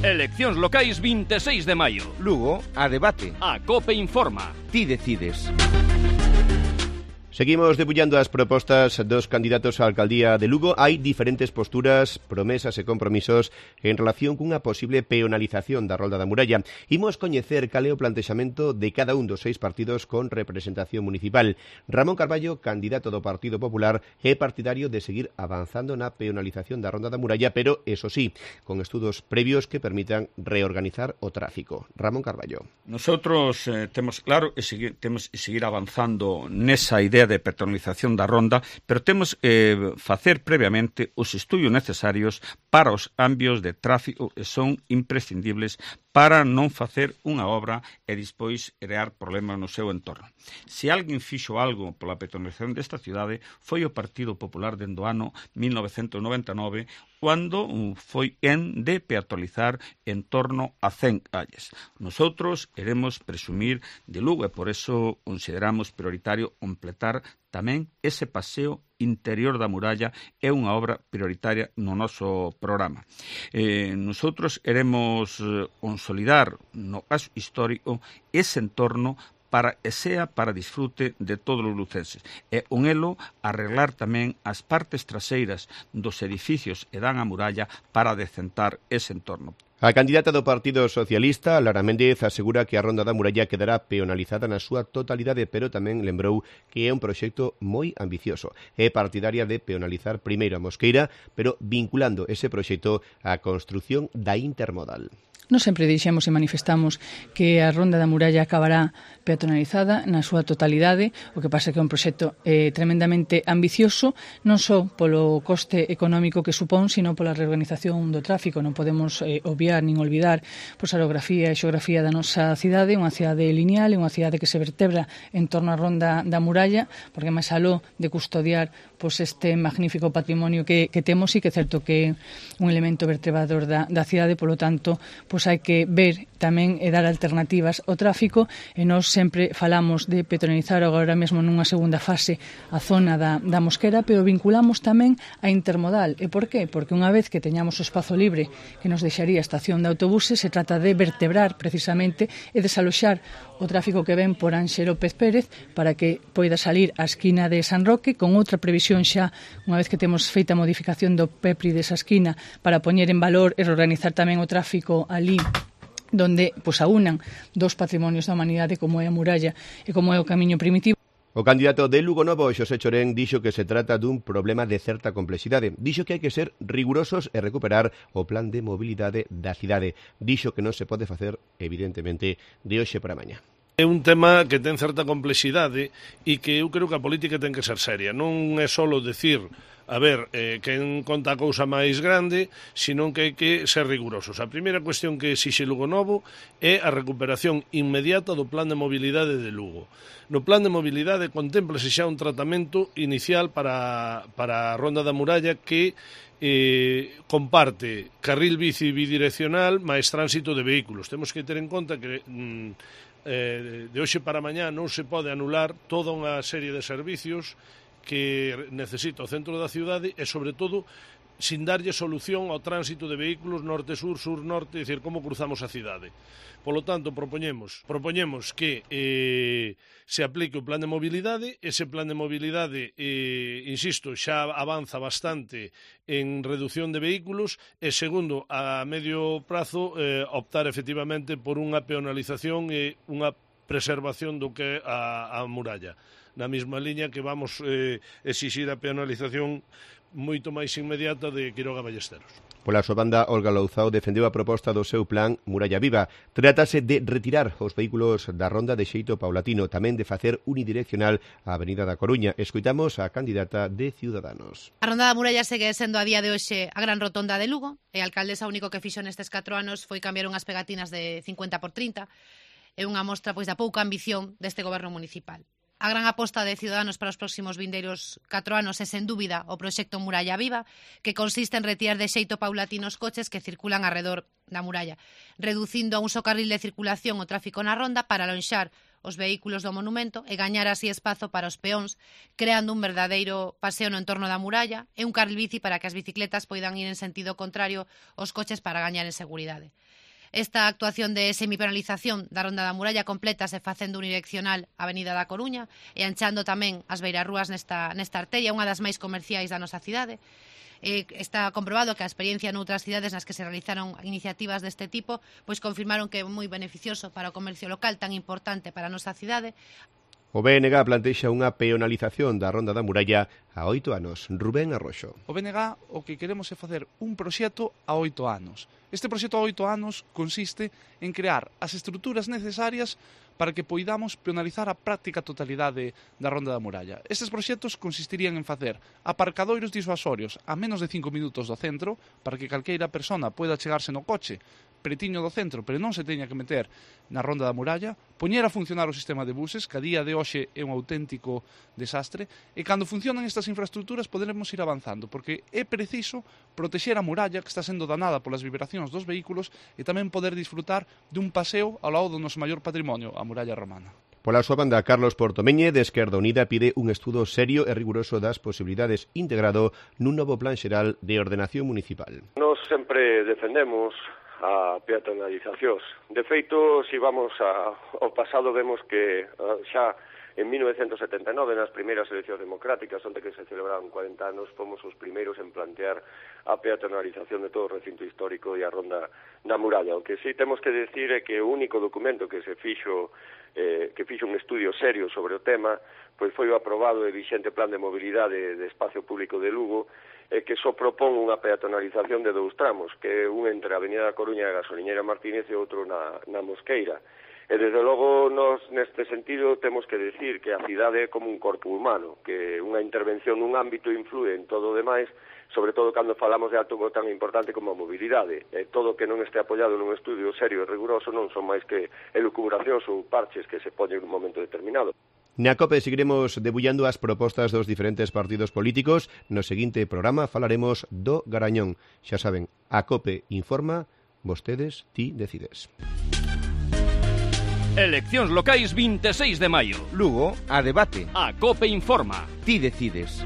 Eleccións locais 26 de maio. Lugo, a debate. A COPE informa. Ti decides. Seguimos debullando as propostas dos candidatos á alcaldía de Lugo. Hai diferentes posturas, promesas e compromisos en relación cunha posible peonalización da Rolda da Muralla. Imos coñecer cal é o plantexamento de cada un dos 6 partidos con representación municipal. Ramón Carballo, candidato do Partido Popular, é partidario de seguir avanzando na peonalización da Ronda da Muralla, pero, eso sí, con estudos previos que permitan reorganizar o tráfico. Ramón Carballo. Nosotros temos claro temos que seguir avanzando nesa idea de peatonalización da Ronda, pero temos facer previamente os estudios necesarios para os cambios de tráfico que son imprescindibles para non facer unha obra e despois crear problemas no seu entorno. Se alguén fixo algo pola peatonalización desta cidade foi o Partido Popular dende o ano 1999, cando foi en de peatonalizar en torno a 100 calles. Nosotros queremos presumir de Lugo e por eso consideramos prioritario completar tamén ese paseo interior da muralla, é unha obra prioritaria no noso programa. Nosotros queremos consolidar no caso histórico ese entorno para que sea para disfrute de todos os lucenses. E con elo arreglar tamén as partes traseiras dos edificios que dan a muralla para decentar ese entorno. A candidata do Partido Socialista, Lara Méndez, asegura que a Ronda da Muralla quedará peonalizada na súa totalidade, pero tamén lembrou que é un proxecto moi ambicioso. É partidaria de peonalizar primeiro a Mosqueira, pero vinculando ese proxecto á construción da intermodal. Nós sempre dixemos e manifestamos que a Ronda da Muralla acabará peatonalizada na súa totalidade, o que pasa que é un proxecto tremendamente ambicioso, non só polo coste económico que supón, sino pola reorganización do tráfico. Non podemos obviar nin olvidar a orografía e xeografía da nosa cidade, unha cidade lineal, unha cidade que se vertebra en torno á Ronda da Muralla, porque máis aló de custodiar este magnífico patrimonio que temos, e que é certo que é un elemento vertebrador da cidade, polo tanto, hai que ver tamén e dar alternativas ao tráfico, e nós sempre falamos de peatonalizar agora mesmo nunha segunda fase a zona da Mosquera, pero vinculamos tamén a intermodal. E por qué? Porque unha vez que teñamos o espazo libre que nos deixaría a estación de autobuses, se trata de vertebrar precisamente e desaloxar o tráfico que ven por Anxe López Pérez para que poida salir á esquina de San Roque, con outra previsión xa, unha vez que temos feita a modificación do PEPRI desa esquina, para poñer en valor e reorganizar tamén o tráfico ali donde aunan dos patrimonios da humanidade como é a muralla e como é o camiño primitivo. O candidato de Lugo Novo, Xosé Chorén, dixo que se trata dun problema de certa complexidade. Dixo que hai que ser rigurosos e recuperar o plan de mobilidade da cidade. Dixo que non se pode facer, evidentemente, de hoxe para mañá. É un tema que ten certa complexidade e que eu creo que a política ten que ser seria. Non é só decir, a ver, quen conta a cousa máis grande, senón que hai que ser rigurosos. A primeira cuestión que exixe Lugo Novo é a recuperación inmediata do plan de mobilidade de Lugo. No plan de mobilidade contémplase xa un tratamento inicial para a Ronda da Muralla que comparte carril bici bidireccional máis tránsito de vehículos. Temos que ter en conta que de hoxe para mañá non se pode anular toda unha serie de servicios que necesita o centro da cidade e, sobre todo, sin darlle solución ao tránsito de vehículos norte-sur, sur-norte, é dicir, como cruzamos a cidade. Polo tanto, propoñemos que se aplique o plan de mobilidade. Ese plan de mobilidade, insisto, xa avanza bastante en reducción de vehículos e, segundo, a medio prazo, optar efectivamente por unha peonalización e unha preservación do que é a muralla. Na mesma liña que vamos exixir a peonalización moito máis inmediata de Quiroga Ballesteros. Pola súa banda, Olga Louzao defendeu a proposta do seu plan Muralla Viva. Trátase de retirar os vehículos da Ronda de xeito paulatino, tamén de facer unidireccional a Avenida da Coruña. Escoitamos a candidata de Ciudadanos. A Ronda da Muralla segue sendo a día de hoxe a gran rotonda de Lugo, e a alcaldesa único que fixo nestes 4 anos foi cambiar unhas pegatinas de 50x30. É unha mostra da pouca ambición deste goberno municipal. A gran aposta de Ciudadanos para os próximos vindeiros 4 anos é, sen dúbida, o proxecto Muralla Viva, que consiste en retirar de xeito paulatino os coches que circulan arredor da muralla, reducindo a un só carril de circulación o tráfico na ronda para alonxar os vehículos do monumento e gañar así espazo para os peóns, creando un verdadeiro paseo no entorno da muralla e un carril bici para que as bicicletas poidan ir en sentido contrario aos coches para gañar en seguridade. Esta actuación de semipenalización da Ronda da Muralla complétase facendo unidireccional a Avenida da Coruña e anchando tamén as beirarrúas nesta arteria, unha das máis comerciais da nosa cidade. Está comprobado que a experiencia noutras cidades nas que se realizaron iniciativas deste tipo pois confirmaron que é moi beneficioso para o comercio local tan importante para a nosa cidade. O BNG plantexa unha peonalización da Ronda da Muralla a 8 anos. Rubén Arroxo. O BNG o que queremos é facer un proxecto a 8 anos. Este proxecto a 8 anos consiste en crear as estruturas necesarias para que poidamos peonalizar a práctica totalidade da Ronda da Muralla. Estes proxectos consistirían en facer aparcadoiros disuasorios a menos de 5 minutos do centro para que calqueira persona poida chegarse no coche pretiño do centro, pero non se teña que meter na Ronda da Muralla, poñer a funcionar o sistema de buses, que a día de hoxe é un auténtico desastre, e cando funcionan estas infraestructuras poderemos ir avanzando, porque é preciso protexer a muralla que está sendo danada polas vibracións dos vehículos e tamén poder disfrutar dun paseo ao lado do noso maior patrimonio, a muralla romana. Pola súa banda, Carlos Portomeñe, de Esquerda Unida, pide un estudo serio e riguroso das posibilidades integrado nun novo plan xeral de ordenación municipal. Nos sempre defendemos a peatonalización. De feito, se vamos ao pasado, vemos que xa en 1979, nas primeiras eleccións democráticas, onde que se celebraron 40 anos, fomos os primeiros en plantear a peatonalización de todo o recinto histórico e a Ronda da Muralla. O que sí temos que decir é que o único documento que se fixo un estudio serio sobre o tema, pois foi o aprobado e vixente Plan de Mobilidade de Espacio Público de Lugo, que só propón unha peatonalización de 2 tramos, que é un entre a Avenida da Coruña e a Gasoliñeira Martínez e outro na Mosqueira. E desde logo, nos neste sentido, temos que decir que a cidade é como un corpo humano, que unha intervención nun ámbito influe en todo o demais, sobre todo cando falamos de algo tan importante como a mobilidade. Todo que non este apoiado nun estudio serio e riguroso non son máis que elucubracións ou parches que se poñen nun momento determinado. Na COPE seguiremos debullando as propostas dos diferentes partidos políticos. No seguinte programa falaremos do Garañón. Xa saben, a COPE informa, vostedes ti decides. Eleccións locais 26 de maio. Lugo, a debate. A COPE informa. Ti decides.